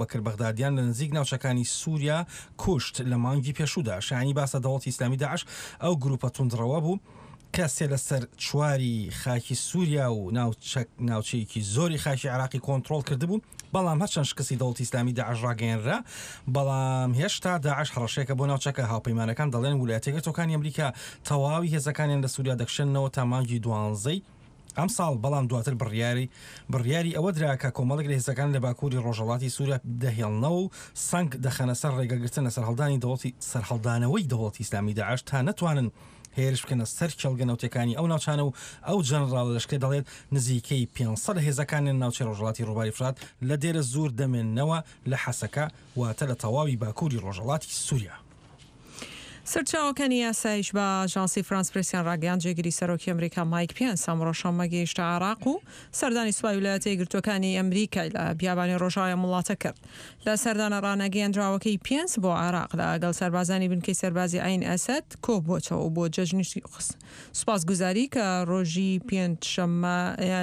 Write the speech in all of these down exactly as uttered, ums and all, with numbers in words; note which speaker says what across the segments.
Speaker 1: بەکر بەغدادیان لە نزیک ناوچەکانی سووریا کوشت لە مانگی پێشوودا. شایانی باسە دەوڵەتی ئیسلامی داعش ئەو گروپە توندڕەوە بوو کە سێ لەسەر چواری خاکی سووریا و ناوچەیەکی زۆری خاکی عێراقی کۆنترۆڵ کردبوو، بەڵام هەرچەند شکستی دەوڵەتی ئیسلامی داعش ڕاگەیەنرا، بەڵام هێشتا داعش هەڕەشەیەکە بۆ ناوچەکە. هاوپەیمانەکان دەڵێن ویلایەتە یەکگرتووەکانی ئەمریکا تەواوی هێزەکانیان لە سووریا دەکشێننەوە تا مانگی دوانزەی ئەمساڵ، بەڵام دواتر بڕیاری بڕیاری ئەوە درا کە کۆمەڵێک لە هێزەکان لە باکووری ڕۆژهەڵاتی سووریا دەهێڵنەوە و سەنگ دەخەنە سەر ڕێگەگرتن لە سەرهەڵدانی دەوڵەتی سەرهەڵدانەوەی دەوڵەتی ئیسلامی داعش تا نەتوانن هێرش بکەنە سەر کێڵگە نەوتەکانی ئەو ناوچانە. و ئەو جەنراڵ لەشکرە دەڵێت نزیکەی پێنج سەد لە هێزەکانیان ناوچەی ڕۆژهەڵاتی ڕووباری فرات لە دێرە زوور دەمێننەوە لە حەسەکە، واتە لە تەواوی باکووری ڕۆژهەڵاتی سووریا.
Speaker 2: سەرچاوەکانی ئاسایش بە ئاژانسی فرانس پرێسیان ڕاگەیاند، جێگری سەرۆکی ئەمریکا مایک پێنس ئەمڕۆ شەممە گەیشتە عێراق و سەردانی سوپای ویلایەتە یەکگرتووەکانی ئەمریکای لە بیابانی ڕۆژئاوای ئەم وڵاتە کرد. لە سەردانە ڕانەگەیەندراوەکەی پێنس بۆ عێراق لەگەڵ سەربازانی بنکەی سەربازی عەین ئەسەد کۆبووەتەوە و بۆ جەژنی سوپاسگوزاری کە ڕۆژی پێنجشەممە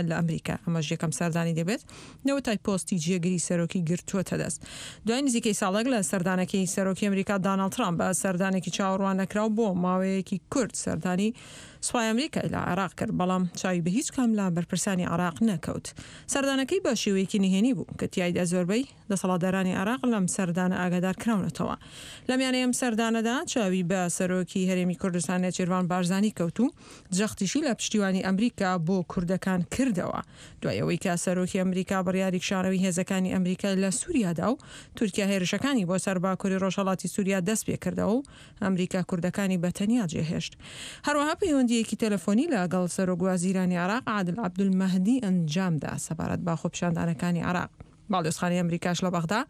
Speaker 2: لە ئەمریکا، ئەمەش یەکەم سەردانی دەبێت لەوەتای پۆستی جێگری سەرۆکی گرتووەتە دەست. دوای نزیکەی ساڵێک لە سەردانەکەی سەرۆکی ئەمریکا داناڵد ترامپ بە سەردانێکی چاوەڕوان نەکراو بۆ ماوەیەکی کورت سەردانی سوپای ئەمریکای لە عێراق کرد، بەڵام چاوی بە هیچ کام لە بەرپرسانی عێراق نەکەوت. سەردانەکەی بە شێوەیەکی نهێنی بوو کە تیایدا زۆربەی دەسەڵاتدارانی عێراق لەم سەردانە ئاگادار کراونەتەوە. لەمیانەی ئەم سەردانەدا چاوی بە سەرۆکی هەرێمی کوردستان نێچیرڤان بارزانی کەوت و جەختیشی لە پشتیوانی ئەمریکا بۆ کوردەکان کردەوە، دوای ئەوەی کە سەرۆکی ئەمریکا بڕیاری کشانەوەی هێزەکانی ئەمریکای لە سووریادا و تورکیا هێرشەکانی بۆ سەر باکووری ڕۆژهەڵاتی سووریا دەست پێکردەوە و ئەمریکا کوردەکانی بە تەنیا جێهێشت. هەروەها پەیوەندییەکی تەلەفۆنی لەگەڵ سەرۆک وەزیرانی عێراق عادل عەبدولمەهدی ئەنجامدا سەبارەت بە خۆپیشاندانەکانی عێراق. باڵیۆزخانەی ئەمریکاش لە بەغدا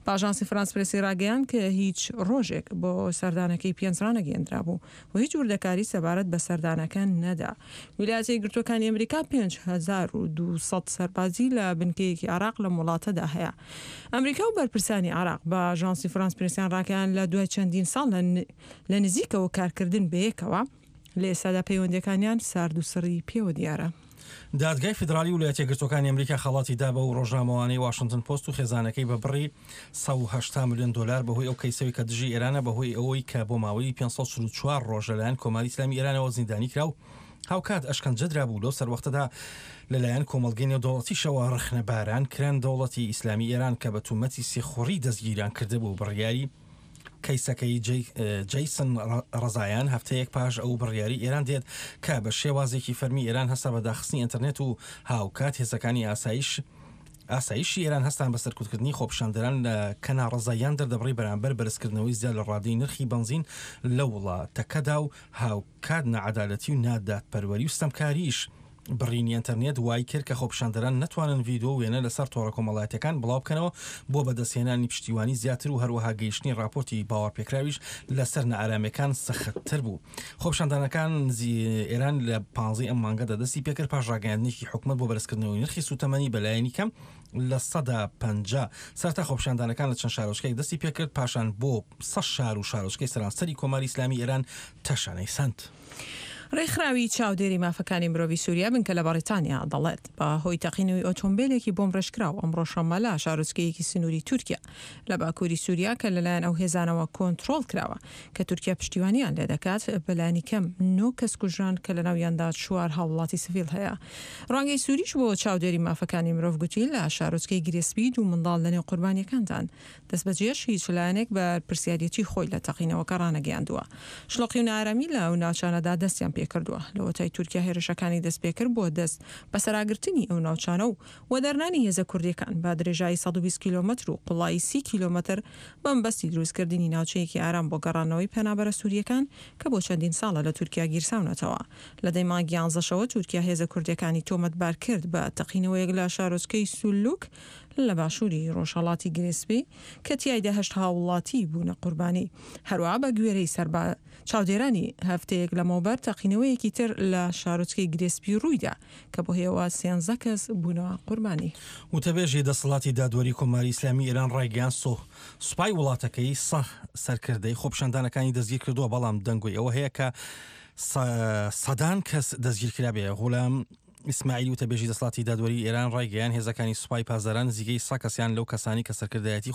Speaker 2: بە ئاژانسی فرانس پرێسی ڕاگەیاند کە هیچ ڕۆژێک بۆ سەردانەکەی پێنس ڕانەگەیەندرابوو و هیچ وردەکاری سەبارەت بە سەردانەکە نەدا. ویلایەتە یەکگرتووەکانی ئەمریکا پێنج هەزار و دوو سەد سەربازی لە بنکەیەکی عێراق لەم وڵاتەدا هەیە. ئەمریکا و بەرپرسانی عێراق بە ئاژانسی فرانس پرێسیان ڕاگەیاند لە دوای چەندین ساڵ لە نزیکەوە کارکردن بەیەکەوە لە ئێستادا پەیوەندیەکانیان سارد و سڕی پێوە دیارە.
Speaker 1: دادگای فیدراڵی ویلایەتە یەکگرتووەکانی ئەمریکا خەڵاتی دا بەو ڕۆژنامەوانەی واشنتن پۆست و خێزانەکەی بە بڕی سەد و هەشتا ملیۆن دۆلار بەهۆی ئەو کەیسەوەی کە دژی ئێرانە، بەهۆی ئەوەی کە بۆ ماوەی پێنج سەد و چل و چوار ڕۆژ لەلایەن کۆماری ئیسلامی ئێرانەوە زیندانی کرا و هاوکات ئەشکەنجە درابوو. لەو سەروەختەدا لەلایەن کۆمەڵگەی نێودەوڵەتیشەوە ڕەخنەباران کران. دەوڵەتی ئیسلامی ئێران کە بە تومەتی سیخوڕی دەستگیریان کردبوو، بڕیاری کەیسەکەی جەیسن ڕەزایان هەفتەیەک پاش ئەو بڕیاری ئێران دێت کە بە شێوازێکی فەرمی ئێران هەستا بە داخستنی ئینتەرنێت و هاوکات هێزەکانی ئاسایش ئاسایشی ئێران هەستان بە سەرکوتکردنی خۆپیشاندەران لە کە ناڕەزاییان دەردەبڕی بەرامبەر بەرزکردنەوەی زیاد لە ڕادەی نرخی بەنزین لە وڵاتەکەدا و هاوکات ناعەدالەتی و نادادپەروەری و ستەمکاریش. بڕینی ئینتەرنێت وای کرد کە خۆپیشاندەران نەتوانن ڤیدیۆ و وێنە لەسەر تۆڕە کۆمەڵایەتیەکان بڵاو بکەنەوە بۆ بەدەستهێنانی پشتیوانی زیاتر و هەروەها گەیشتنی راپۆرتی باوەڕپێکراویش لەسەر نائارامیەکان سەختتر بوو. خۆپیشاندانەکان ئێران لە پانزەی ئەم مانگەدا دەستی پێکرد پاش ڕاگەیاندنێکی حکومەت بۆ بەرزکردنەوەی نرخی سوتەمەنی بەلایەنی کەم لە سەدا پەنجا. سەرەتا خۆپیشاندانەکان لە چەند شارۆچکەیەک دەستی پێکرد، پاشان بۆ سەد شار و شارۆچکەی سەرانسەری کۆماری ئیسلامی ئێران تەشەنەی سەند.
Speaker 2: ڕێکخراوی چاودێری مافەکانی مرۆڤی سووریا بنکە لە بەڕیتانیا دەڵێت، بە هۆی تەقینەوەی ئۆتۆمبێلێکی بۆمبڕێژکراو ئەمڕۆ شەممە لە شارۆچکەیەکی سنووری تورکیا لە باکووری سووریا کە لەلایەن ئەو هێزانەوە کۆنترۆڵ کراوە کە تورکیا پشتیوانیان لێدەکات، بەلایەنی کەم نۆ کەس کوژران کە لەناویاندا چوار هاووڵاتی سڤیل هەیە. ڕوانگەی سووریش بۆ چاودێری مافەکانی مرۆڤ گوتی لە شارۆچکەی گرێسپی دوو منداڵ لەنێو قوربانیەکاندان. دەستبەجێش هیچ لایەنێک بەرپرسیاریەتی خۆی لە تەقینەوەکە ڕانەگەیاندووە. شڵۆقی و نائارامی لە ئەو ناوچانەدا دەستیان پێکردووە. لەوەتای تورکیا هێرشەکانی دەستپێکرد بۆ دەست بەسەراگرتنی ئەو ناوچانە و وەدەرنانی هێزە کوردیەکان بە درێژایی سەد و بیست کیلۆمەتر و قوڵایی سی کیلۆمەتر بەمەبەستی دروستکردنی ناوچەیەکی ئارام بۆ گەڕانەوەی پەنابەرە سوریەکان کە بۆ چەندین ساڵە لە تورکیا گیرساونەتەوە. لە دەی مانگی یانزەشەوە تورکیا هێزە کوردیەکانی تۆمەتبار کرد بە تەقینەوەیەک لە شارۆچکەی سولوک لە باشووری ڕۆژهەڵاتی گرێسپی کە تیایدا هەشت هاووڵاتی بوونە قوربانی. هەروەها بە گوێرەی سەربا چاودێرانی هەفتەیەک لەمەوبەر تەقینەوەیەکی تر لە شارۆچکەی گرێسپی ڕوویدا کە بەهۆیەوە سێنزە کەس بوونە قوربانی.
Speaker 1: وتەبێژی دەسەڵاتی دادوەری کۆماری ئیسلامی ئێران ڕایگەیاند، سوپای وڵاتەکەی سە سەرکردەی خۆپیشاندانەکانی دەستگیرکردووە، بەڵام دەنگۆی ئەوە هەیە کە سەدان کەس دەستگیرکرابێ. غولام ئیسماعیلی وتەبێژی دەسەڵاتی دادوەری ئێران ڕایگەیاند، هێزەکانی سوپای پاسداران نزیکەی سەد کەسیان لەو کەسانەی کە سەرکردایەتی